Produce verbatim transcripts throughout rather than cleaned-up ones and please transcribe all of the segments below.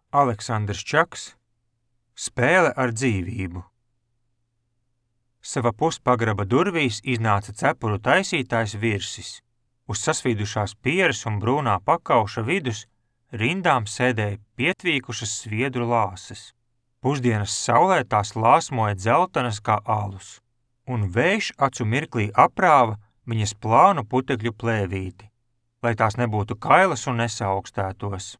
Aleksandrs Čaks. Spēle ar dzīvību. Sava puspagraba durvīs iznāca cepuru taisītājs Virsis. Uz sasvīdušās pieres un brūnā pakauša vidus rindām sēdēja pietvīkušas sviedru lāses. Pusdienas saulē tās lāsmoja dzeltenas kā alus, un vējš acu mirklī aprāva viņas plānu putekļu plēvīti, lai tās nebūtu kailas un nesaaugstētos.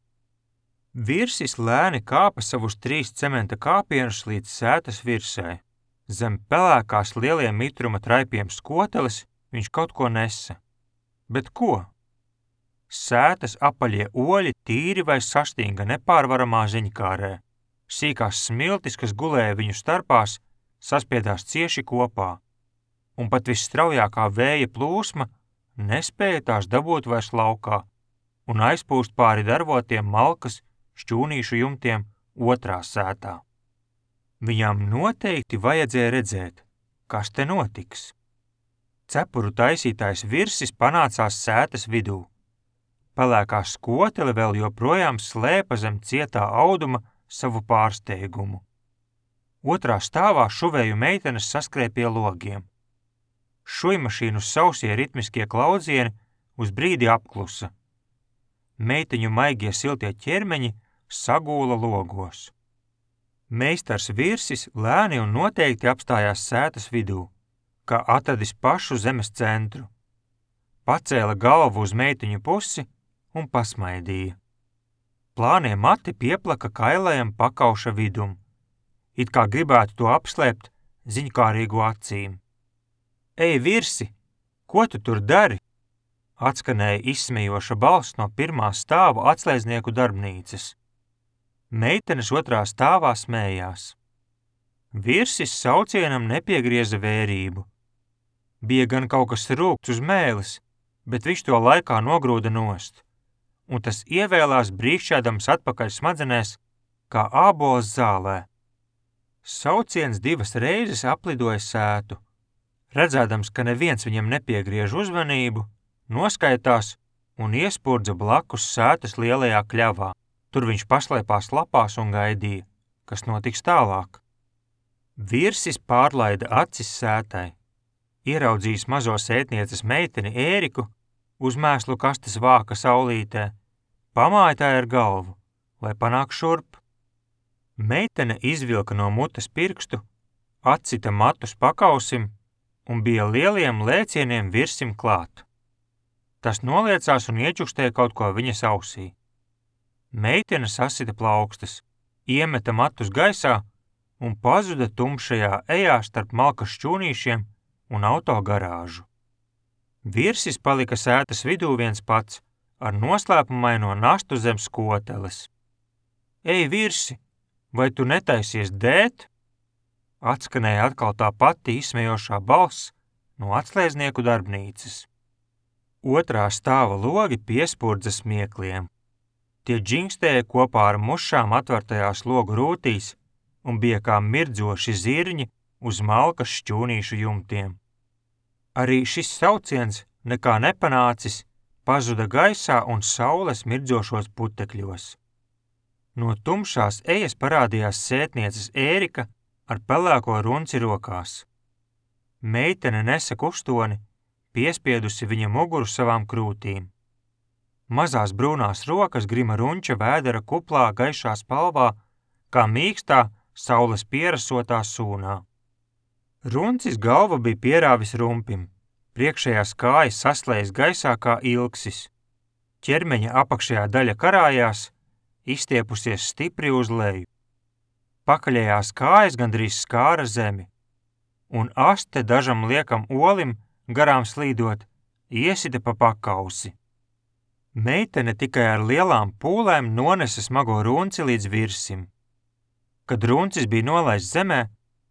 Virsis lēni kāpa savus trīs cementa kāpienus līdz sētas virsē. Zem pelēkās lieliem mitruma traipiem skoteles viņš kaut ko nesa. Bet ko? Sētas apaļie oļi tīri vai sastinga nepārvaramā ziņkārē. Sīkās smiltis, kas gulēja viņu starpās, saspiedās cieši kopā, un pat visstraujākā vēja plūsma nespēja tās dabūt vairs laukā un aizpūst pāri darvotiem malkas šķūnīšu jumtiem otrā sētā. Viņām noteikti vajadzēja redzēt, kas te notiks. Cepuru taisītājs Virsis panācās sētas vidū. Pelēkā skotele vēl joprojām slēpa zem cietā auduma savu pārsteigumu. Otrā stāvā šuvēju meitenes saskrēja pie logiem. Šujmašīnu sausie ritmiskie klaudzieni uz brīdi apklusa. Meiteņu maigie siltie ķermeņi sagūla logos. Meistars Virsis lēni un noteikti apstājās sētas vidū, kā atradis pašu zemes centru. Pacēla galvu uz meiteņu pusi un pasmaidīja. Plānie mati pieplaka kailajam pakauša vidum, it kā gribētu to apslēpt ziņkārīgu acīm. Ei, Virsi, ko tu tur dari? Atskanēja izsmejoša balss no pirmā stāva atslēdznieku darbnīcas. Meitenes otrā stāvā smējās. Virsis saucienam nepiegrieza vērību. Bija gan kaut kas rūgts uz mēles, bet viņš to laikā nogrūda nost, un tas ievēlās brīkšķēdams atpakaļ smadzenēs, kā ābols zālē. Sauciens divas reizes aplidoja sētu. Redzēdams, ka neviens viņam nepiegriež uzmanību, noskaitās un iespurdza blakus sētas lielajā kļavā. Tur viņš paslēpās lapās un gaidīja, kas notiks tālāk. Virsis pārlaida acis sētai. Ieraudzījis mazo sētnieces meiteni Ēriku uz mēslu kastes vāka saulītē, pamāja ar galvu, lai panāk šurp. Meitene izvilka no mutes pirkstu, atcita matus pakausim un bija lieliem lēcieniem Virsim klāt. Tas noliecās un iečukstēja kaut ko viņas ausī. Meitene sasita plaukstas, iemeta matus gaisā un pazuda tumšajā ejā starp malkas šķūnīšiem un auto garāžu. Virsis palika sētas vidū viens pats ar noslēpumaino nastu zem skoteles. Ei, Virsi, vai tu netaisies dēt? Atskanēja atkal tā pati izsmejošā balss no atslēdznieku darbnīcas. Otrā stāva logi piespurdza smiekliem. Tie džingstēja kopā ar mušām atvertajās logu rūtīs un bija kā mirdzoši zirņi uz malkas šķūnīšu jumtiem. Arī šis sauciens, nekā nepanācis, pazuda gaisā un saules mirdzošos putekļos. No tumšās ejas parādījās sētnieces Ērika ar pelēko runci rokās. Meitene nesa kustoni, piespiedusi viņa muguru savām krūtīm. Mazās brūnās rokas grima runča vēdera kuplā gaišā spalvā, kā mīkstā saules pierasotā sūnā. Runcis galvu bija pierāvis rumpim, priekšējās kājas saslējas gaisā kā ilksis. Ķermeņa apakšējā daļa karājās, izstiepusies stipri uz leju. Pakaļējās kājas gandrīz skāra zemi, un aste dažam liekam olim, garām slīdot, iesita pa pakausi. Meitene tikai ar lielām pūlēm nonesa smago runci līdz Virsim. Kad runcis bija nolaists zemē,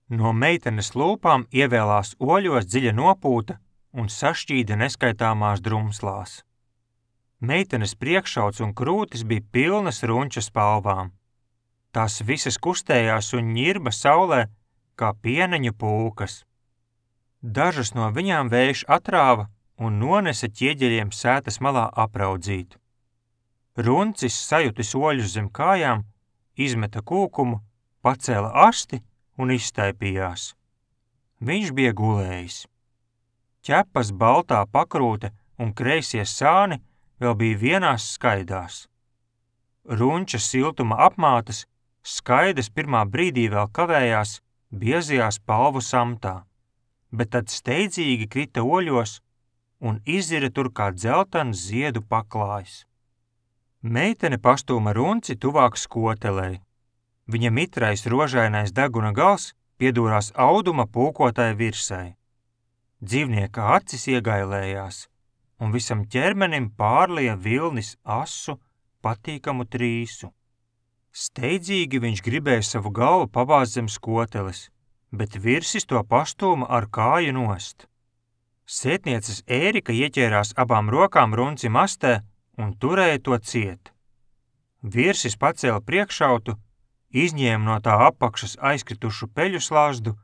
no meitenes lūpām ievēlās oļos dziļa nopūta un sašķīda neskaitāmās drumslās. Meitenes priekšauts un krūtis bija pilnas runča spalvām. Tās visas kustējās un ņirba saulē kā pieneņu pūkas. Dažas no viņām vējš atrāva un nonesa ķieģeļiem sētas malā apraudzīt. Runcis sajutis oļus zem kājām, izmeta kūkumu, pacēla asti un izstaipījās. Viņš bija gulējis. Ķepas baltā pakrūte un kreisie sāni vēl bija vienās skaidās. Runča siltuma apmātas skaidas pirmā brīdī vēl kavējās biezajās palvu samtā, bet tad steidzīgi krita oļos un izira tur kā dzeltens ziedu paklājs. Meitene pastūma runci tuvāk skotelei. Viņa mitrais rožainais deguna gals piedūrās auduma pūkotai virsai. Dzīvnieka acis iegailējās, un visam ķermenim pārlija vilnis asu, patīkamu trīsu. Steidzīgi viņš gribēja savu galvu pabāzt zem skoteles, bet virsis to pastūma ar kāju nost. Sētnieces Ērika ieķērās abām rokām runci mastē un turēja to ciet. Virsis pacēla priekšautu, izņēma no tā apakšas aizkritušu peļu slazdu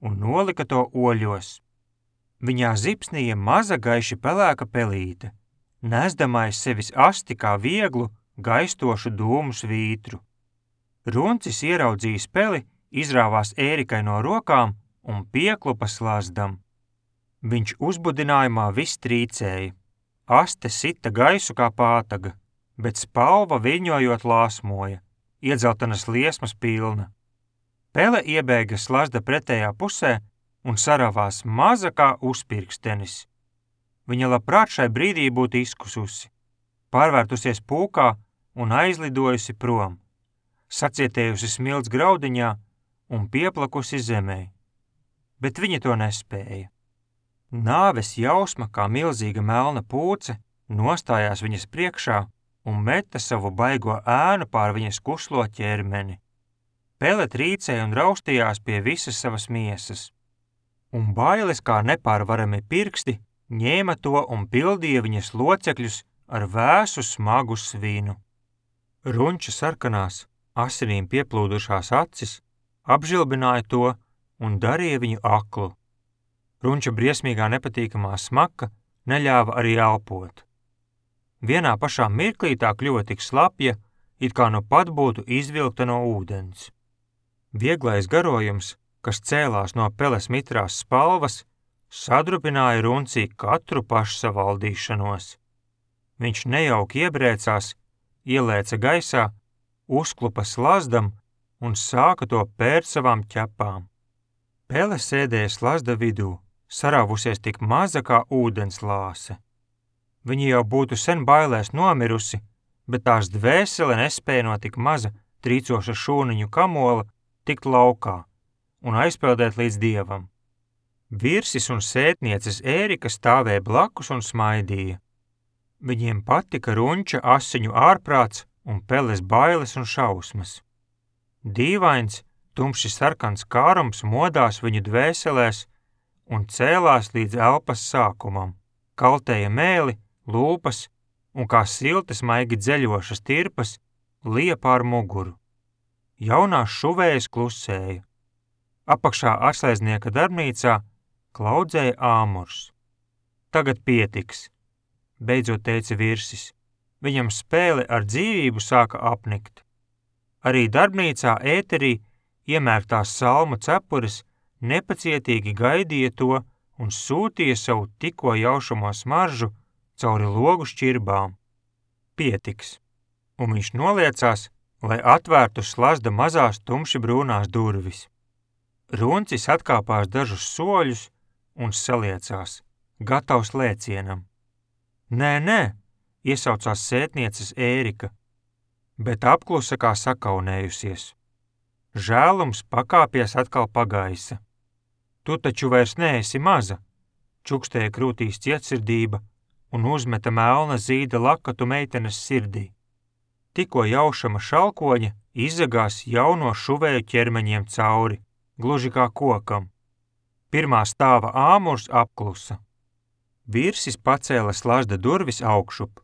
un nolika to oļos. Viņā zipsnīja maza gaiši pelēka pelīte, nesdama aiz sevis asti kā vieglu, gaistošu dūmu svītru. Runcis ieraudzījis peli, izrāvās Ērikai no rokām un pieklupa slazdam. Viņš uzbudinājumā viss trīcēja. Aste sita gaisu kā pātaga, bet spalva viļņojot lāsmoja, iedzeltenas liesmas pilna. Pele iebēga slazda pretējā pusē un saravās maza kā uzpirkstenis. Viņa labprāt šai brīdī būtu izkususi, pārvērtusies pūkā un aizlidojusi prom, sacietējusi smilts graudiņā un pieplakusi zemē, bet viņa to nespēja. Nāves jausma, kā milzīga melna pūce, nostājās viņas priekšā un meta savu baigo ēnu pār viņas kuslo ķermeni. Pele trīcēja un raustījās pie visas savas miesas, un bailes kā nepārvarami pirksti ņēma to un pildīja viņas locekļus ar vēsu smagu svinu. Runča sarkanās, asinīm pieplūdušās acis apžilbināja to un darīja viņu aklu. Runča briesmīgā nepatīkamā smaka neļāva arī elpot. Vienā pašā mirklī tā kļuva tik slapja, it kā nu pat būtu izvilkta no ūdens. Vieglais garojums, kas cēlās no peles mitrās spalvas, sadrupināja Runcī katru pašsavaldīšanos. Viņš nejauki iebrēcās, ielēca gaisā, uzklupa slazdam un sāka to pērt savām ķepām. Pele sēdēja slazda vidū, sarāvusies tik maza kā ūdens lāse. Viņa jau būtu sen bailēs nomirusi, bet tās dvēsele nespēja no tik maza, trīcoša šūniņu kamola tikt laukā un aizpeldēt līdz dievam. Virsis un sētnieces Ērika stāvēja blakus un smaidīja. Viņiem patika Runča asiņu ārprāts un peles bailes un šausmas. Dīvains, tumši sarkans kārums modās viņu dvēselēs un cēlās līdz elpas sākumam, kaltēja mēli, lūpas un kā siltas maigi dzeļošas tirpas lija pār muguru. Jaunās šuvējas klusēja. Apakšā atslēdznieka darbnīcā klaudzēja āmurs. Tagad pietiks, beidzot teica Virsis. Viņam spēle ar dzīvību sāka apnikt. Arī darbnīcā ēterī iemērktās salmu cepures nepacietīgi gaidīja to un sūtīja savu tikko jaušamo smaržu cauri logu šķirbām. Pietiks, un viņš noliecās, lai atvērtu slazda mazās tumši brūnās durvis. Runcis atkāpās dažus soļus un saliecās, gatavs lēcienam. Nē, nē, iesaucās sētnieces Ērika, bet apklusa kā sakaunējusies. Žēlums pakāpies atkal pagaisa. Tu taču vairs neesi maza, čukstēja krūtīs cietsirdība un uzmeta melna zīda lakatu meitenes sirdī. Tikko jaušama šalkoņa izzagās jauno šuvēju ķermeņiem cauri, gluži kā kokam. Pirmā stāva āmurs apklusa. Virsis pacēla slazda durvis augšup.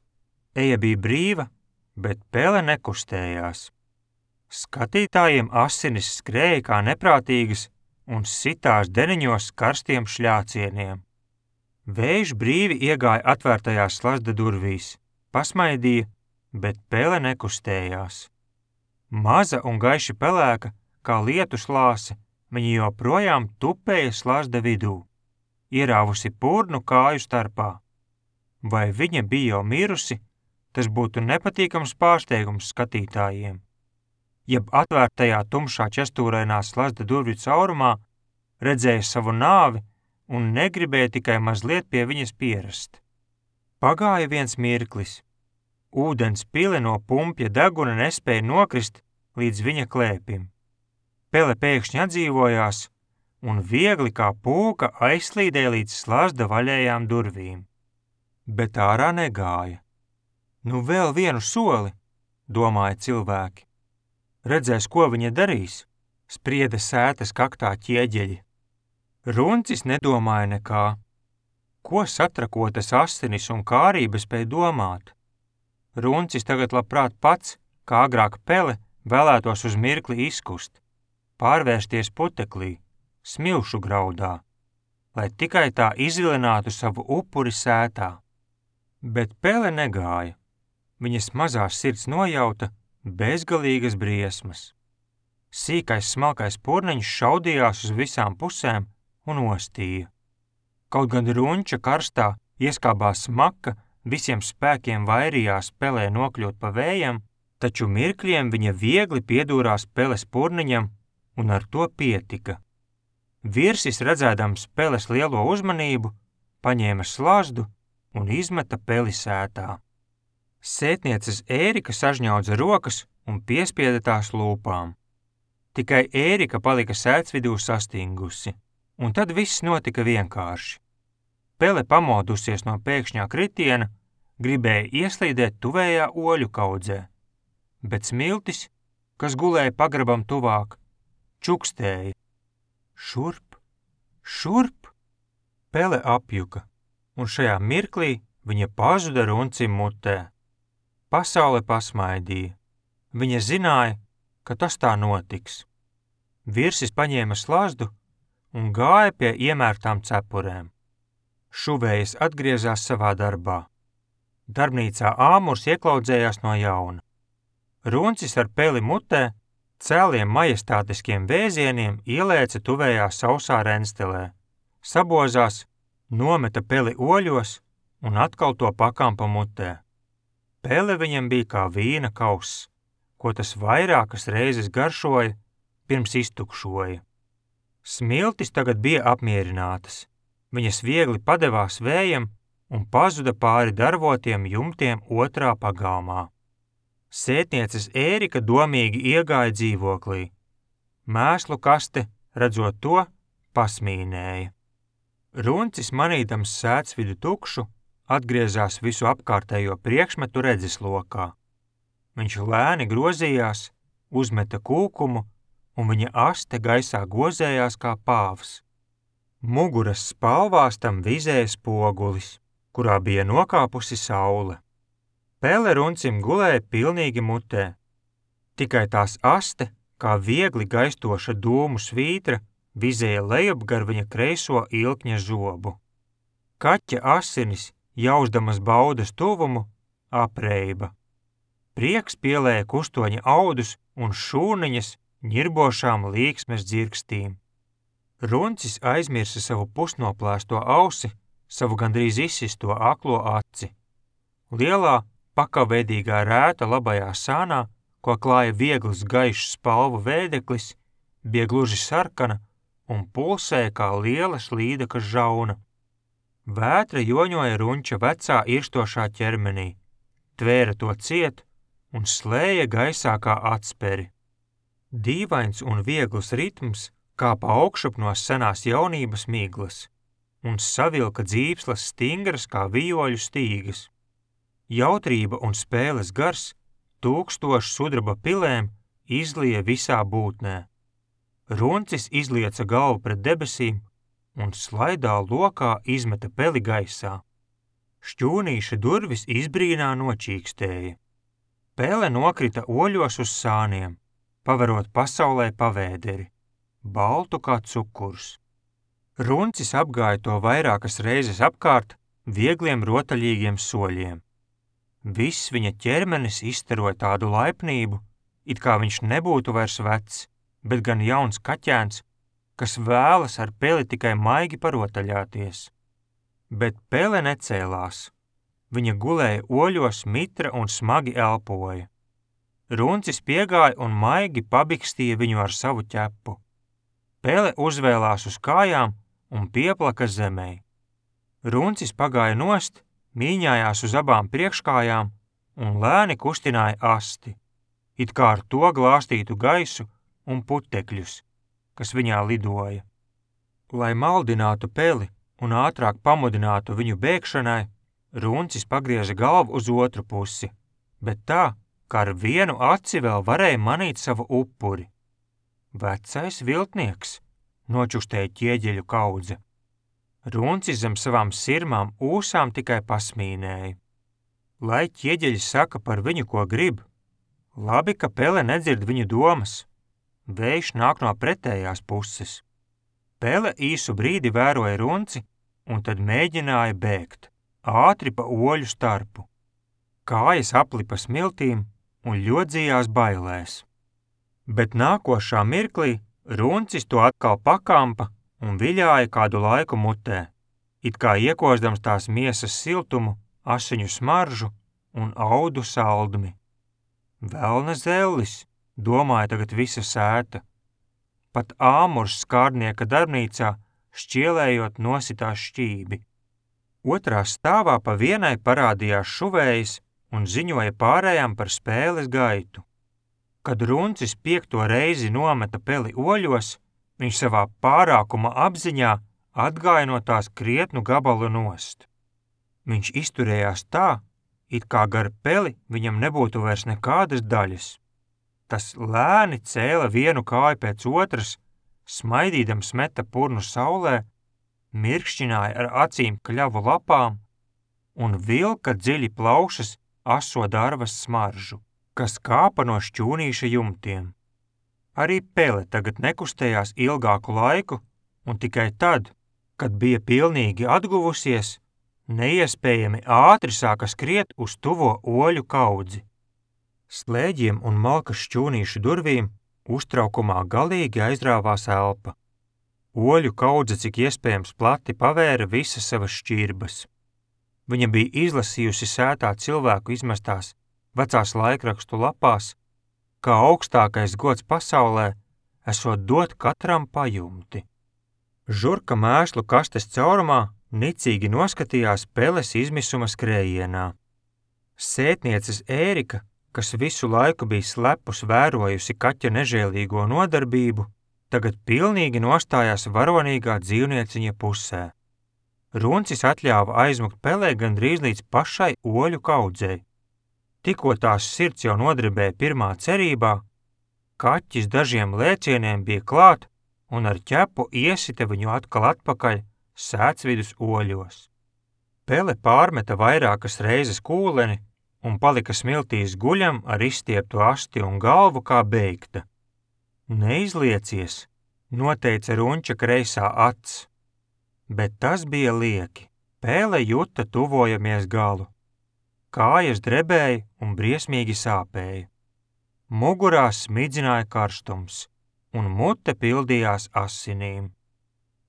Eja bija brīva, bet pele nekustējās. Skatītājiem asinis skrēja kā neprātīgas un sitās deniņos karstiem šļācieniem. Vējš brīvi iegāja atvērtajās slazda durvīs, pasmaidīja, bet pele nekustējās. Maza un gaiši pelēka, kā lietus lāse, viņa joprojām tupēja slazda vidū, ierāvusi purnu kāju starpā. Vai viņa bija jau mirusi, tas būtu nepatīkams pārsteigums skatītājiem. Jeb atvērtajā tumšā čestūrainā slazda durvju caurumā redzēja savu nāvi un negribēja tikai mazliet pie viņas pierast. Pagāja viens mirklis. Ūdens pile no pumpja deguna nespēja nokrist līdz viņa klēpim. Pele pēkšņi atdzīvojās un viegli kā pūka aizslīdēja līdz slazda vaļējām durvīm. Bet ārā negāja. Nu vēl vienu soli, domāja cilvēki. Redzēs, ko viņa darīs, sprieda sētas kaktā ķieģeļi. Runcis nedomāja nekā. Ko satrakotas asinis un kārība spēja domāt? Runcis tagad labprāt pats, kā agrāk Pele, vēlētos uz mirkli izkust, pārvērsties puteklī, smilšu graudā, lai tikai tā izvilinātu savu upuri sētā. Bet Pele negāja. Viņas mazās sirds nojauta bezgalīgas briesmas. Sīkais smalkais purniņš šaudījās uz visām pusēm un ostīja. Kaut gan runča karstā ieskābā smaka visiem spēkiem vairījās Pelē nokļūt pa vējam, taču mirkļiem viņa viegli piedūrās Peles purniņam un ar to pietika. Virsis, redzēdams Peles lielo uzmanību, paņēma slazdu un izmeta Peli sētā. Sētnieces Ērika sažņaudza rokas un piespieda tās lūpām. Tikai Ērika palika sēts vidū sastingusi, un tad viss notika vienkārši. Pele, pamodusies no pēkšņā kritiena, gribēja ieslīdēt tuvējā oļu kaudzē, bet smiltis, kas gulēja pagrabam tuvāk, čukstēja. Šurp, šurp! Pele apjuka, un šajā mirklī viņa pazuda runcim mutē. Pasaule pasmaidīja. Viņa zināja, ka tas tā notiks. Virsis paņēma slazdu un gāja pie iemērtām cepurēm. Šuvējas atgriezās savā darbā. Darbnīcā āmurs ieklaudzējās no jauna. Runcis ar Peli mutē cēliem majestātiskiem vēzieniem ielēca tuvējā sausā renstelē, sabozās, nometa Peli oļos un atkal to pakampa mutē. Pele viņam bija kā vīna kauss, ko tas vairākas reizes garšoja, pirms iztukšoja. Smiltis tagad bija apmierinātas. Viņas viegli padevās vējam un pazuda pāri darvotiem jumtiem otrā pagalmā. Sētnieces Ērika domīgi iegāja dzīvoklī. Mēslu kaste, redzot to, pasmīnēja. Runcis, manīdams sēts vidu tukšu, atgriezās visu apkārtējo priekšmetu redzeslokā. Viņš lēni grozījās, uzmeta kūkumu, un viņa aste gaisā gozējās kā pāvs. Muguras spalvās tam vizēja spogulis, kurā bija nokāpusi saule. Pele runcim gulēja pilnīgi mutē. Tikai tās aste, kā viegli gaistoša dūmu svītra, vizēja lejup gar viņa kreiso ilkņa zobu. Kaķa asinis, jausdamas baudas tuvumu, apreiba. Prieks pielēja kustoņa audus un šūniņas ņirbošām līksmes dzirkstīm. Runcis aizmirsa savu pusnoplēsto ausi, savu gandrīz izsisto aklo aci. Lielā, pakavēdīgā rēta labajā sānā, ko klāja viegls gaišs spalvu vēdeklis, bija gluži sarkana un pulsēja kā liela slīdaka žauna. Vētra joņoja runča vecā irstošā ķermenī, tvēra to ciet un slēja gaisā kā atsperi. Dīvains un viegls ritms kāpa augšup no senās jaunības miglas un savilka dzīvslas stingras kā vijoļu stīgas. Jautrība un spēles gars tūkstošu sudraba pilēm izlija visā būtnē. Runcis izlieca galvu pret debesīm un slaidā lokā izmeta Peli gaisā. Šķūnīša durvis izbrīnā nočīkstēja. Pele nokrita oļos uz sāniem, paverot pasaulē pavēderi, baltu kā cukurs. Runcis apgāja to vairākas reizes apkārt viegliem rotaļīgiem soļiem. Viss viņa ķermenis izstaroja tādu laipnību, it kā viņš nebūtu vairs vecs, bet gan jauns kaķēns, kas vēlas ar Peli tikai maigi parotaļāties. Bet Pele necēlās. Viņa gulēja oļos mitra un smagi elpoja. Runcis piegāja un maigi pabikstīja viņu ar savu ķepu. Pele uzvēlās uz kājām un pieplaka zemē. Runcis pagāja nost, mīņājās uz abām priekškājām un lēni kustināja asti, it kā ar to glāstītu gaisu un putekļus, kas viņā lidoja. Lai maldinātu Peli un ātrāk pamudinātu viņu bēgšanai, Runcis pagrieza galvu uz otru pusi, bet tā, kā ar vienu aci vēl varēja manīt savu upuri. Vecais viltnieks, nočustēja ķieģeļu kaudze. Runcis zem savām sirmām ūsām tikai pasmīnēja. Lai ķieģeļi saka par viņu, ko grib, labi, ka Pele nedzird viņu domas. Vējš nāk no pretējās puses. Pele īsu brīdi vēroja Runci un tad mēģināja bēgt, ātri pa oļu starpu. Kājas aplipa smiltīm un ļodzījās bailēs. Bet nākošā mirklī Runcis to atkal pakampa un viļāja kādu laiku mutē, it kā iekozdams tās miesas siltumu, asiņu smaržu un audu saldmi. Velna zellis, domāja tagad visa sēta. Pat āmurs skārdnieka darbnīcā šķielējot nositās šķībi. Otrā stāvā pa vienai parādījās šuvējas un ziņoja pārējām par spēles gaitu. Kad Runcis piekto reizi nometa Peli oļos, viņš savā pārākuma apziņā atgāja no tās krietnu gabalu nost. Viņš izturējās tā, it kā gar Peli viņam nebūtu vairs nekādas daļas. Tas lēni cēla vienu kāju pēc otras, smaidīdams meta purnu saulē, mirkšķināja ar acīm kļavu lapām un vilka dziļi plaušas aso darvas smaržu, kas kāpa no šķūnīša jumtiem. Arī Pele tagad nekustējās ilgāku laiku, un tikai tad, kad bija pilnīgi atguvusies, neiespējami ātri sāka skriet uz tuvo oļu kaudzi. Slēģiem un malkas šķūnīšu durvīm uztraukumā galīgi aizrāvās elpa. Oļu kaudze cik iespējams plati pavēra visas savas šķirbas. Viņa bija izlasījusi sētā cilvēku izmestās vecās laikrakstu lapās, kā augstākais gods pasaulē esot dot katram pajumti. Žurka mēslu kastes caurumā nicīgi noskatījās Peles izmisuma skrējienā. Sētnieces Ērika, kas visu laiku bija slepus vērojusi kaķa nežēlīgo nodarbību, tagad pilnīgi nostājās varonīgā dzīvnieciņa pusē. Runcis atļāva aizmukt Pelē gandrīz līdz pašai oļu kaudzei. Tikko tās sirds jau nodribēja pirmā cerībā, kaķis dažiem lēcieniem bija klāt un ar ķepu iesita viņu atkal atpakaļ sētsvidus oļos. Pele pārmeta vairākas reizes kūleni un palika smiltīs guļam ar izstieptu asti un galvu kā beigta. Neizliecies, noteica Runča kreisā acs, bet tas bija lieki. Pele juta tuvojamies galu. Kājas drebēja un briesmīgi sāpēja. Mugurā smidzināja karstums, un mute pildījās asinīm.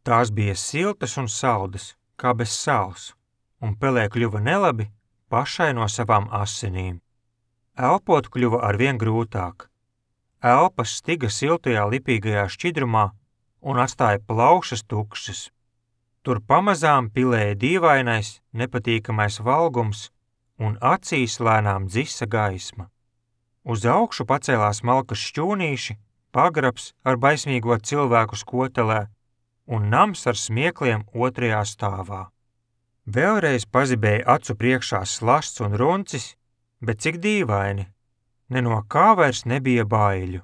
Tās bija siltas un saldas, kā bez sāls, un Pelē kļuva nelabi pašai no savām asinīm. Elpot kļuva arvien grūtāk. Elpas stiga siltajā lipīgajā šķidrumā un atstāja plaušas tukšas. Tur pamazām pilēja dīvainais, nepatīkamais valgums un acīs lēnām dzisa gaisma. Uz augšu pacēlās malkas šķūnīši, pagrabs ar baismīgo cilvēku skotelē un nams ar smiekliem otrajā stāvā. Vēlreiz pazibēja acu priekšā slasts un Runcis, bet cik dīvaini, ne no kā vairs nebija baiļu.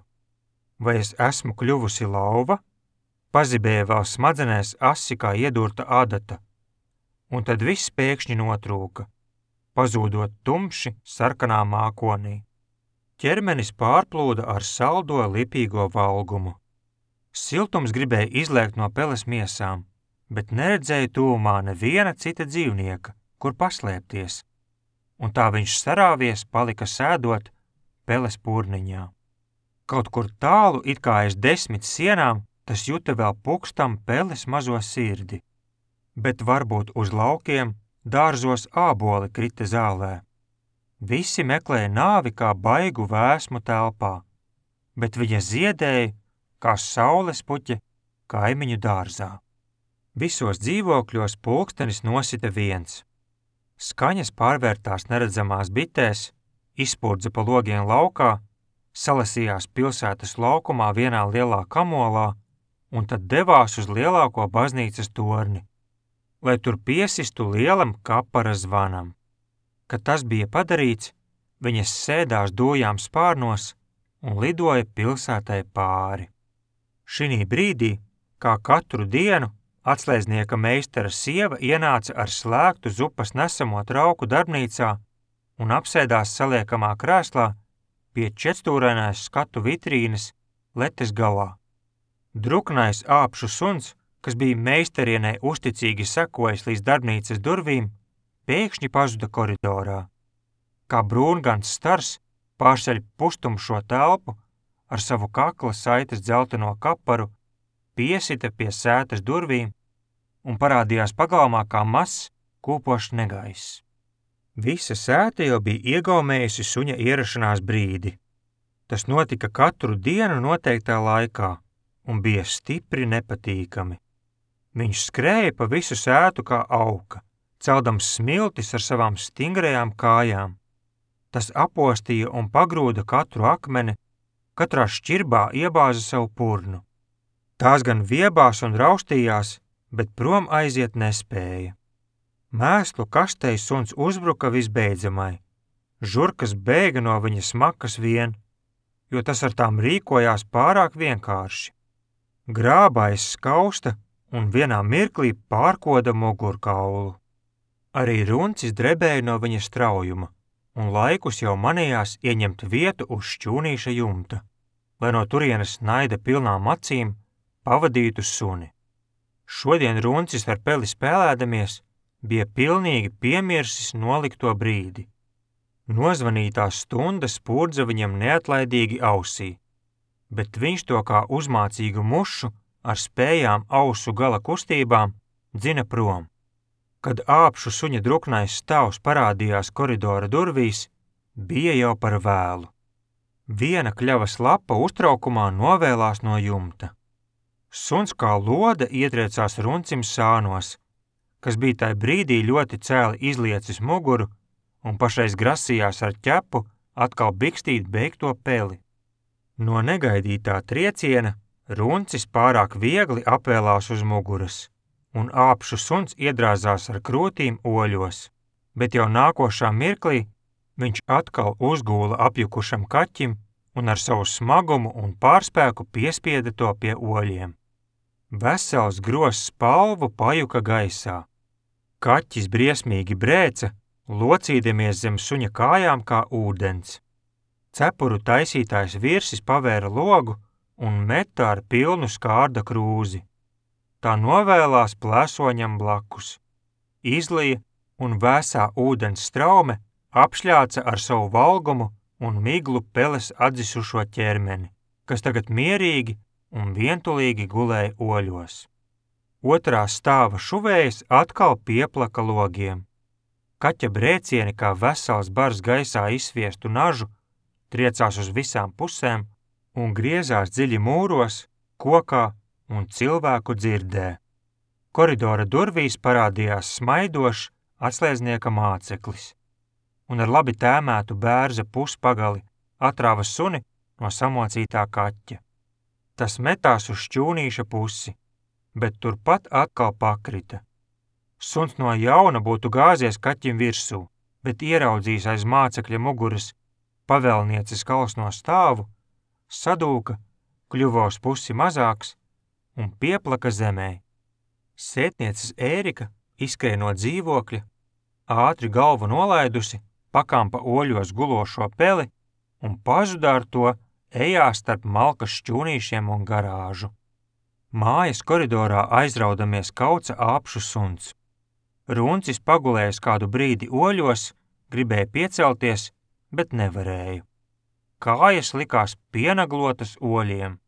Vai es esmu kļuvusi lauva? Pazibēja vēl smadzenēs asi kā iedurta adata, un tad viss pēkšņi notrūka, pazūdot tumši sarkanā mākonī. Ķermenis pārplūda ar saldo lipīgo valgumu. Siltums gribēja izlēkt no Peles miesām, bet neredzēja tūmā neviena cita dzīvnieka, kur paslēpties, un tā viņš sarāvies palika sēdot Peles purniņā. Kaut kur tālu, it kā aiz desmit sienām, tas juta vēl pukstam peles mazo sirdi. Bet varbūt uz laukiem, dārzos āboli krita zālē. Visi meklēja nāvi kā baigu vēsmu telpā, bet viņa ziedēja kā saules puķe kaimiņu dārzā. Visos dzīvokļos pulkstenis nosita viens. Skaņas pārvērtās neredzamās bitēs, izspurdza pa logiem laukā, salasījās pilsētas laukumā vienā lielā kamolā un tad devās uz lielāko baznīcas torni, lai tur piesistu lielam kapara zvanam. Kad tas bija padarīts, viņas sēdās dojām spārnos un lidoja pilsētai pāri. Šinī brīdī, kā katru dienu, atslēdznieka meistara sieva ienāca ar slēgtu zupas nesamo trauku darbnīcā un apsēdās saliekamā krēslā pie četstūrainās skatu vitrīnes letes galā. Druknais āpšu suns, kas bija meistarienei uzticīgi sekojis līdz darbnīcas durvīm, pēkšņi pazuda koridorā. Kā brūngans stars pārceļ pustumšo telpu ar savu kakla saites dzelteno kaparu, piesita pie sētas durvīm un parādījās pagalmā kā mazs, kūpošs negaiss. Visa sēta jau bija iegaumējusi suņa ierašanās brīdi. Tas notika katru dienu noteiktā laikā un bija stipri nepatīkami. Viņš skrēja pa visu sētu kā auka, celdams smiltis ar savām stingrajām kājām. Tas apostīja un pagrūda katru akmeni, katrā šķirbā iebāza savu purnu. Tās gan viebās un raustījās, bet prom aiziet nespēja. Mēslu kastei suns uzbruka visbeidzamai. Žurkas bēga no viņa smakas vien, jo tas ar tām rīkojās pārāk vienkārši. Grābājs skausta un vienā mirklī pārkoda mugurkaulu. Arī runcis drebēja no viņa straujuma, un laikus jau manījās ieņemt vietu uz šķūnīša jumta, lai no turienes naida pilnām acīm pavadītu suni. Šodien runcis ar peli spēlēdamies bija pilnīgi piemirsis nolikto brīdi. Nozvanītā stunda spurdza viņam neatlaidīgi ausī, bet viņš to kā uzmācīgu mušu ar spējām ausu gala kustībām dzina prom. Kad āpšu suņa druknais stāvs parādījās koridora durvīs, bija jau par vēlu. Viena kļavas lapa uztraukumā novēlās no jumta. Suns kā lode ietriecās runcim sānos, kas bija tai brīdī ļoti cēli izliecis muguru un pašreiz grasījās ar ķepu atkal bikstīt beigto peli. No negaidītā trieciena runcis pārāk viegli apvēlās uz muguras, un āpšu suns iedrāzās ar krūtīm oļos, bet jau nākošā mirklī viņš atkal uzgūla apjukušam kaķim un ar savu smagumu un pārspēku piespieda to pie oļiem. Vesels grozs spalvu pajuka gaisā. Kaķis briesmīgi brēca, locīdamies zem suņa kājām kā ūdens. Cepuru taisītājs virsis pavēra logu un meta ar pilnu skārda krūzi. Tā novēlās plēsoņam blakus. Izlija un vēsā ūdens straume apšļāca ar savu valgumu un miglu peles atzisušo ķermeni, kas tagad mierīgi un vientulīgi gulēja oļos. Otrā stāva šuvējas atkal pieplaka logiem. Kaķa brēcieni kā vesels bars gaisā izsviestu nažu triecās uz visām pusēm un griezās dziļi mūros, kokā un cilvēku dzirdē. Koridora durvīs parādījās smaidošs atslēdznieka māceklis un ar labi tēmētu bērza puspagali atrāva suni no samocītā kaķa. Tas metās uz šķūnīša pusi, bet turpat atkal pakrita. Suns no jauna būtu gāzies kaķim virsū, bet ieraudzījis aiz mācekļa muguras pavēlnieces kalsno stāvu, sadūka, kļuva uz pusi mazāks un pieplaka zemē. Sētnieces Ērika izskrēja no dzīvokļa, ātri galvu nolaidusi, pakampa oļos gulošo peli un pazuda ar to ejā starp malkas šķūnīšiem un garāžu. Mājas koridorā aizraudamies kauca āpšu suns. Runcis pagulējis kādu brīdi oļos, gribēja piecelties, bet nevarēja. kājas likās pienaglotas oļiem.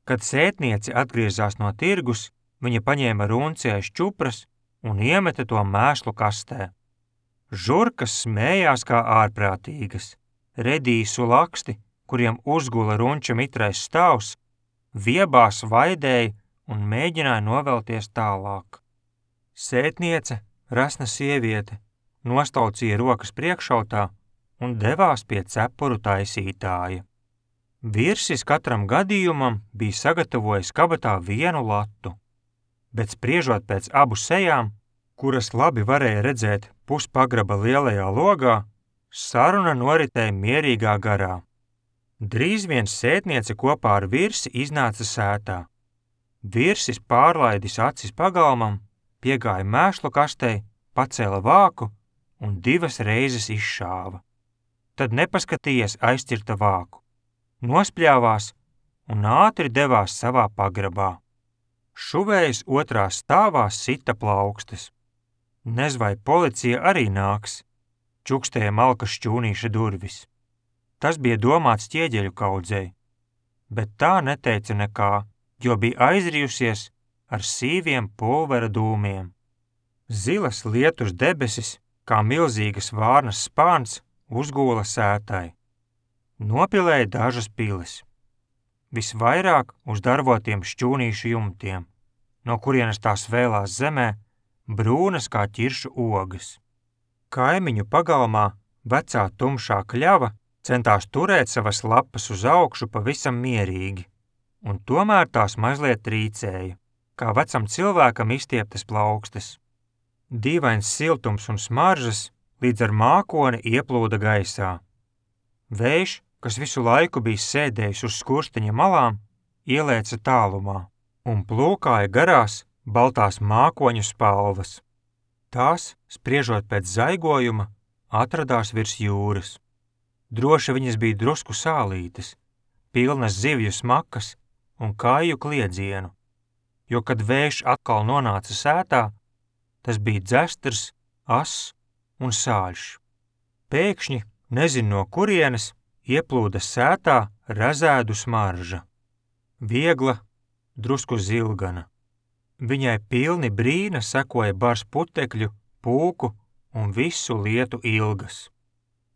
Kad sētniece atgriezās no tirgus, viņa paņēma runci aiz čupras un iemeta to mēslu kastē. Žurkas smējās kā ārprātīgas, redīsu laksti, kuriem uzgula runča mitrais stāvs, viebās vaidēja un mēģināja novelties tālāk. Sētniece, rasna sieviete, nostaucīja rokas priekšautā un devās pie cepuru taisītāja. Virsis katram gadījumam bija sagatavojis kabatā vienu latu, bet spriežot pēc abu sejām, kuras labi varēja redzēt puspagraba lielajā logā, saruna noritēja mierīgā garā. Drīz vien sētniece kopā ar virsi iznāca sētā. Virsis pārlaidis acis pagalmam, piegāja mēslu kastei, pacēla vāku un divas reizes izšāva. Tad nepaskatījies aizcirta vāku, nospļāvās un ātri devās savā pagrabā. Šuvējs otrā stāvā sita plaukstes. Nez vai policija arī nāks, čukstēja malka šķūnīša durvis. Tas bija domāts ķieģeļu kaudzei, bet tā neteica nekā, jo bija aizrijusies ar sīviem pulvera dūmiem. Zilas lietus debesis, kā milzīgas vārnas spāns, uzgūla sētai. Nopilēja dažas pilis. Visvairāk uz darvotiem šķūnīšu jumtiem, no kurienes tās vēlās zemē, brūnas kā ķiršu ogas. Kaimiņu pagalmā vecā tumšā kļava centās turēt savas lapas uz augšu pavisam mierīgi, un tomēr tās mazliet trīcēja, kā vecam cilvēkam izstieptas plaukstes. Dīvains siltums un smaržas līdz ar mākoni ieplūda gaisā. Vējš, kas visu laiku bija sēdējis uz skursteņa malām, ielēca tālumā un plūkāja garās baltās mākoņu spalvas. Tās, spriežot pēc zaigojuma, atradās virs jūras. Droši viņas bija drusku sālītes, pilnas zivju smakas un kāju kliedzienu, jo, kad vējš atkal nonāca sētā, tas bija dzestrs, ass un sāļš. Pēkšņi, nezin no kurienes, ieplūda sētā razēdu smarža. Viegla, drusku zilgana. Viņai pilni brīna sekoja bars putekļu, pūku un visu lietu ilgas.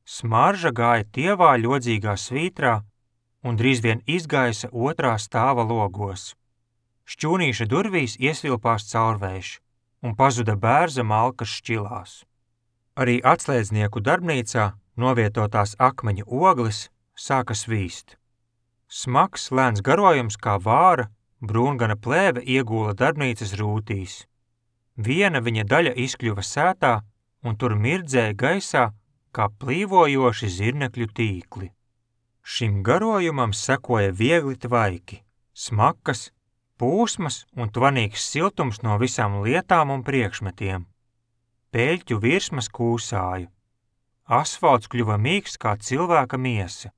Smarža gāja tievā ļodzīgā svītrā un drīz vien izgaisa otrā stāva logos. Šķūnīša durvīs iesvilpās caurvējš un pazuda bērza malkas šķilās. Arī atslēdznieku darbnīcā novietotās akmeņu ogles sāka svīst. Smags, lēns garojums kā vāra, brūngana plēve iegūla darbnīcas rūtīs. Viena viņa daļa izkļuva sētā un tur mirdzēja gaisā kā plīvojoši zirnekļu tīkli. Šim garojumam sekoja viegli tvaiki, smakas, pūsmas un tvanīgs siltums no visām lietām un priekšmetiem. Peļķu virsmas kūsāja. Asfalts kļuva mīksts kā cilvēka miesa.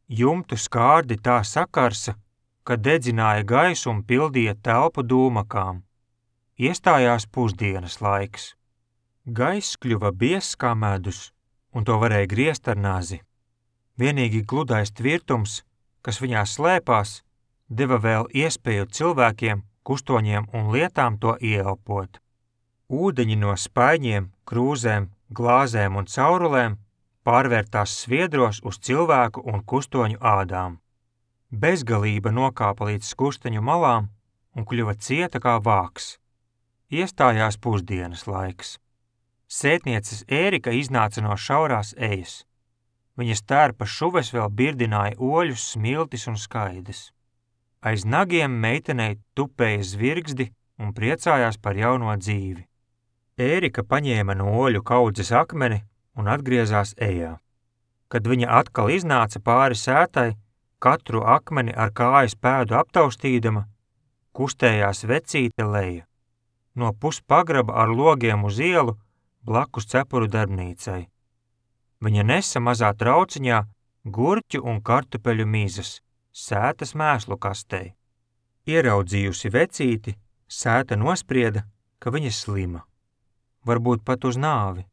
Jumtu skārdi tā sakarsa, ka dedzināja gaisu un pildīja telpu dūmakām. Iestājās pusdienas laiks. Gaiss kļuva biezs kā medus, un to varēja griezt ar nazi. Vienīgi gludais tvirtums, kas viņā slēpās, deva vēl iespēju cilvēkiem, kustoņiem un lietām to ieelpot. Ūdeņi no spaiņiem, krūzēm, glāzēm un caurulēm pārvērtās sviedros uz cilvēku un kustoņu ādām. Bezgalība nokāpa līdz skursteņu malām un kļuva cieta kā vāks. Iestājās pusdienas laiks. Sētnieces Ērika iznāca no šaurās ejas. Viņas tērpa šuves vēl birdināja oļus, smiltis un skaides. Aiz nagiem meitenei tupēja zvirgzdi un priecājās par jauno dzīvi. Ērika paņēma no oļu kaudzes akmeni un atgriezās ejā. Kad viņa atkal iznāca pāri sētai, katru akmeni ar kājas pēdu aptaustīdama, kustējās vecīte Leja. No puspagraba ar logiem uz ielu blakus cepuru darbnīcai. Viņa nesa mazā trauciņā gurķu un kartupeļu mizas, sētas mēslu kastei. Ieraudzījusi vecīti, sēta nosprieda, ka viņa slima. Varbūt pat uz nāvi.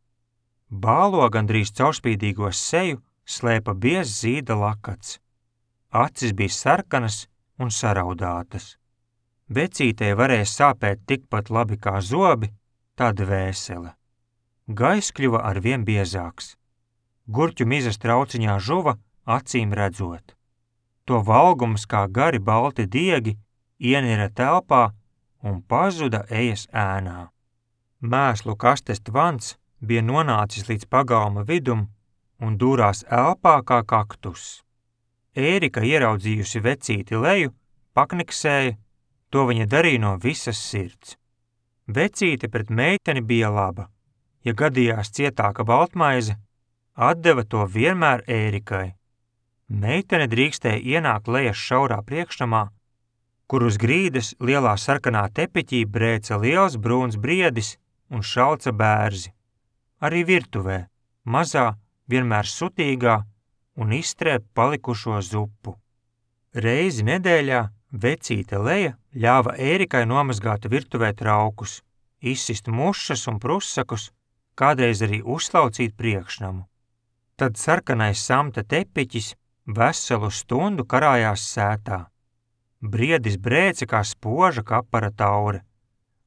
Bālo gandrīz caurspīdīgo seju slēpa biez zīda lakats. Acis bija sarkanas un saraudātas. Vecītei varēja sāpēt tikpat labi kā zobi, tā dvēsele. Gaiss kļuva arvien biezāks. Gurķu mizas trauciņā žuva, acīm redzot. To valgums kā gari balti diegi ienira telpā un pazuda ejas ēnā. Mēslu kastes tvans bija nonācis līdz pagalma vidum un dūrās elpā kā kaktus. Ērika, ieraudzījusi vecīti leju, pakniksēja, to viņa darīja no visas sirds. Vecīte pret meiteni bija laba. Ja gadījās cietāka baltmaize, atdeva to vienmēr Ērikai. Meitene drīkstēja ienākt lejas šaurā priekšnamā, kur uz grīdas lielā sarkanā tepiķī brēca liels brūns briedis un šalca bērzi. Arī virtuvē, mazā, vienmēr sutīgā un izstrēp palikušo zupu. Reizi nedēļā vecīte Leja ļāva Ērikai nomazgāt virtuvē traukus, izsist mušas un prusakus, kādreiz arī uzslaucīt priekšnamu. Tad sarkanais samta tepiķis veselu stundu karājās sētā. Briedis brēca kā spoža kapara taure,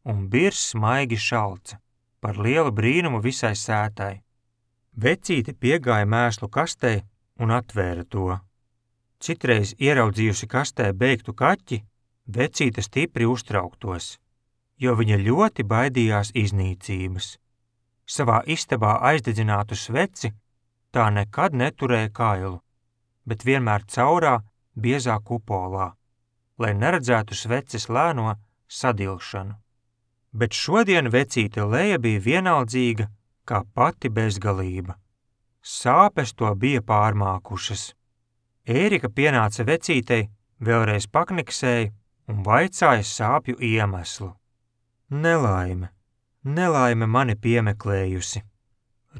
un birs smaigi šalca, par lielu brīnumu visai sētai. Vecīte piegāja mēslu kastei un atvēra to. Citreiz ieraudzījusi kastē beigtu kaķi, vecīte stipri uztrauktos, jo viņa ļoti baidījās iznīcības. Savā istabā aizdedzinātu sveci tā nekad neturēja kailu, bet vienmēr caurā, biezā kupolā, lai neredzētu sveces lēno sadilšanu. Bet šodien vecīte Leja bija vienaldzīga kā pati bezgalība. Sāpes to bija pārmākušas. Ērika pienāca vecītei, vēlreiz pakniksēja un vaicāja sāpju iemeslu. Nelaime, nelaime mani piemeklējusi,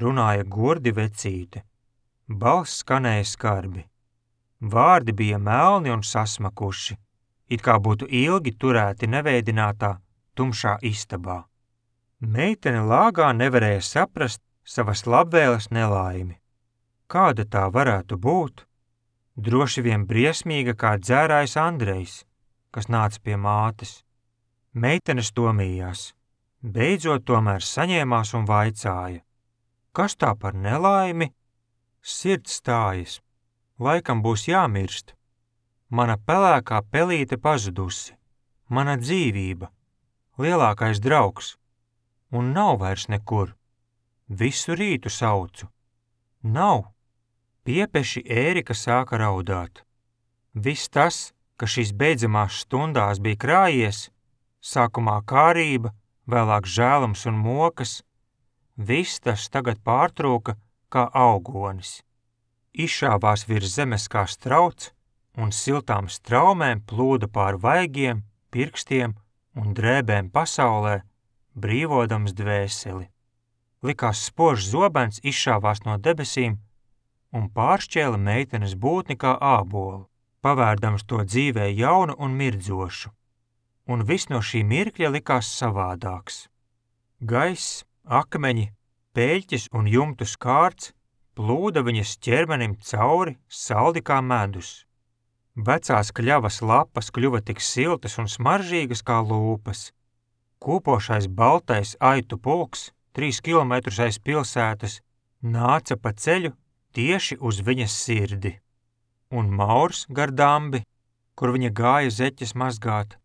runāja gordi vecīte. Balss skanēja skarbi. Vārdi bija melni un sasmakuši, it kā būtu ilgi turēti neveidinātā, tumšā istabā. Meitene lāgā nevarēja saprast savas labvēles nelaimi. Kāda tā varētu būt? Droši vien briesmīga kā dzērājs Andrejs, kas nāca pie mātes. Meitene stomījās, beidzot tomēr saņēmās un vaicāja. Kas tā par nelaimi? Sirds stājas, laikam būs jāmirst. Mana pelēkā pelīte pazudusi, mana dzīvība, lielākais draugs, un nav vairs nekur. Visu rītu saucu. Nav. Piepeši Ērika sāka raudāt. Viss tas, kas šīs beidzamās stundās bija krājies, sākumā kārība, vēlāk žēlums un mokas, viss tas tagad pārtrūka kā augonis. Izšāvās virs zemes kā strauts, un siltām straumēm plūda pār vaigiem, pirkstiem un drēbēm pasaulē, brīvodams dvēseli. Likās spožs zobens izšāvās no debesīm un pāršķēla meitenes būtni kā ābolu, pavērdams to dzīvē jaunu un mirdzošu. Un viss no šī mirkļa likās savādāks. Gaiss, akmeņi, peļķis un jumtu skārts plūda viņas ķermenim cauri, saldi kā medus. Vecās kļavas lapas kļuva tik siltas un smaržīgas kā lūpas. Kūpošais baltais aitu pulks, trīs kilometrus aiz pilsētas, nāca pa ceļu tieši uz viņas sirdi. Un Maurs gar dambi, kur viņa gāja zeķes mazgāt,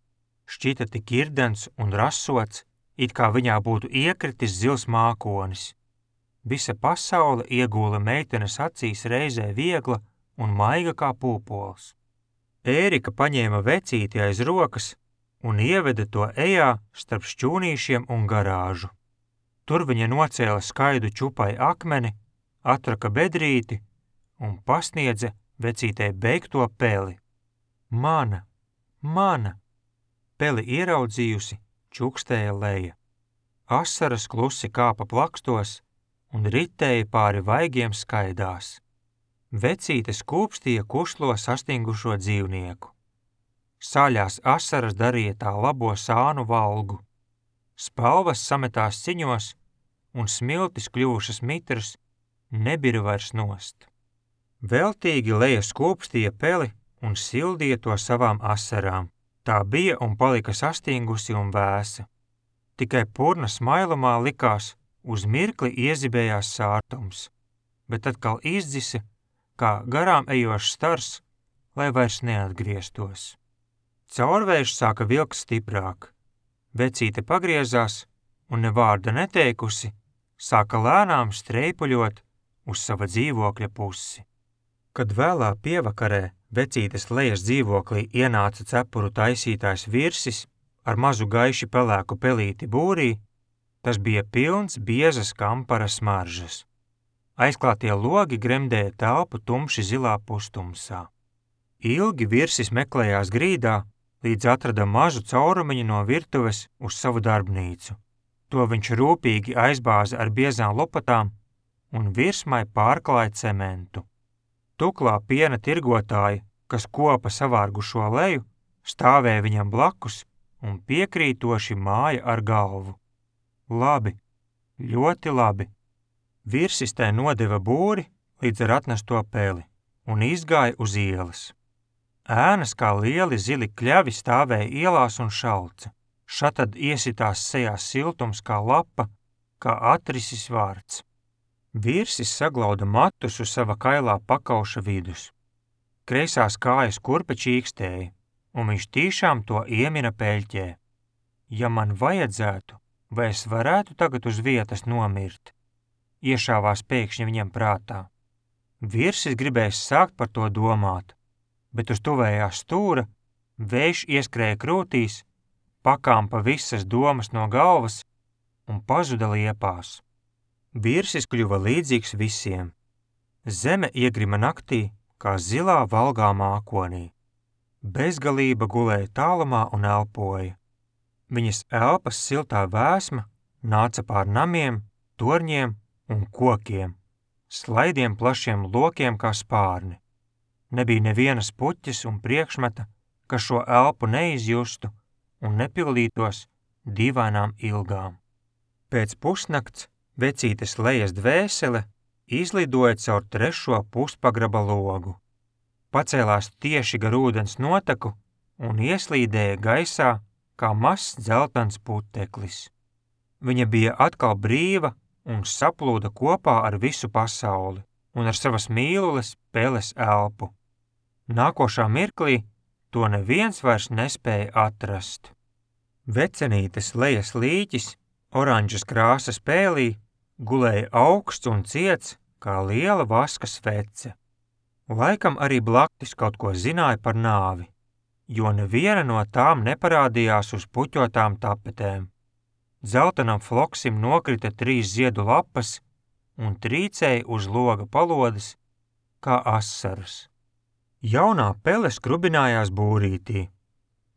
šķita tik irdens un rasots, it kā viņā būtu iekritis zils mākonis. Visa pasaule iegūla meitenes acīs reizē viegla un maiga kā pūpols. Ērika paņēma vecīti aiz rokas un ieveda to ejā starp šķūnīšiem un garāžu. Tur viņa nocēla skaidu čupai akmeni, atraka bedrīti un pasniedza vecītei beigto peli. Mana, mana! Peli ieraudzījusi, čukstēja Leja. Asaras klusi kāpa plakstos un ritēja pāri vaigiem skaidās. Vecīte skūpstīja kuslo sastingušo dzīvnieku. Saļās asaras darīja tā labo sānu valgu. Spalvas sametās ciņos un smiltis kļuvušas mitras nebira vairs nost. Veltīgi Leja skūpstīja peli un sildīja to savām asarām. Tā bija un palika sastingusi un vēsa. Tikai purna smailumā likās, uz mirkli iezibējās sārtums, bet atkal izdzisa, kā garām ejošs stars, lai vairs neatgrieztos. Caurvējš sāka vilkt stiprāk. Vecīte pagriezās un ne vārda neteikusi, sāka lēnām streipuļot uz sava dzīvokļa pusi. Kad vēlā pievakarē vecītes Lejas dzīvoklī ienāca cepuru taisītājs Virsis ar mazu gaiši pelēku pelīti būrī, tas bija pilns biezas kampara smaržas. Aizklātie logi gremdēja telpu tumši zilā pustumsā. Ilgi Virsis meklējās grīdā, līdz atrada mazu caurumiņu no virtuves uz savu darbnīcu. To viņš rūpīgi aizbāza ar biezām lopatām un virsmai pārklāja cementu. Tuklā piena tirgotāji, kas kopa savārgušo Leju, stāvēja viņam blakus un piekrītoši māja ar galvu. Labi, ļoti labi. Virsis tai nodeva būri līdz ar atnesto peli un izgāja uz ielas. Ēnas kā lieli zili kļavi stāvēja ielās un šalca. Šatad iesitās sejā siltums kā lapa, kā atrisis vārds. Virsis saglauda matus uz sava kailā pakauša vidus. Kreisās kājas kurpe čīkstēja, un viņš tīšām to iemina peļķē. Ja man vajadzētu, vai es varētu tagad uz vietas nomirt? Iešāvās pēkšņi viņam prātā. Virsis gribēja sākt par to domāt, bet uz tuvējā stūra vējš ieskrēja krūtīs, pakāmpa visas domas no galvas un pazuda liepās. Virsis kļuva līdzīgs visiem. Zeme iegrima naktī, kā zilā valgā mākonī. Bezgalība gulēja tālumā un elpoja. Viņas elpas siltā vēsma nāca pār namiem, torņiem un kokiem, slaidiem plašiem lokiem kā spārni. Nebija nevienas puķes un priekšmeta, kas šo elpu neizjustu un nepildītos dīvainām ilgām. Pēc pusnakts vecītes Lejas dvēsele izlidoja caur trešo puspagraba logu. Pacēlās tieši gar ūdens noteku un ieslīdēja gaisā kā mazs dzeltens puteklis. Viņa bija atkal brīva un saplūda kopā ar visu pasauli un ar savas mīlules peles elpu. Nākošā mirklī to neviens vairs nespēja atrast. Vecenītes Lejas līķis oranžas krāsas pēlī gulēja augsts un ciets kā liela vaska svece. Laikam arī blaktis kaut ko zināja par nāvi, jo neviena no tām neparādījās uz puķotām tapetēm. Dzeltenam floksim nokrita trīs ziedu lapas un trīcēja uz loga palodes kā asaras. Jaunā pele skrubinājās būrītī.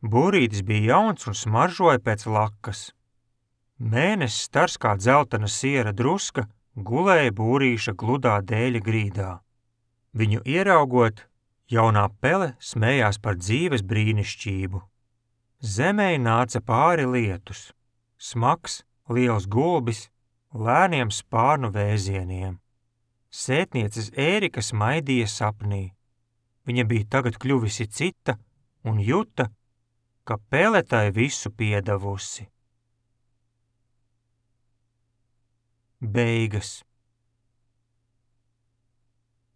Būrītis bija jauns un smaržoja pēc lakas. Mēnesis stars kā dzeltena siera druska gulēja būrīša gludā dēļa grīdā. Viņu ieraugot, jaunā pele smējās par dzīves brīnišķību. Zemei nāca pāri lietus, smags, liels gulbis, lēniem spārnu vēzieniem. Sētnieces Ērika smaidīja sapnī. Viņa bija tagad kļuvisi cita un juta, ka pele tai visu piedavusi. Beigas.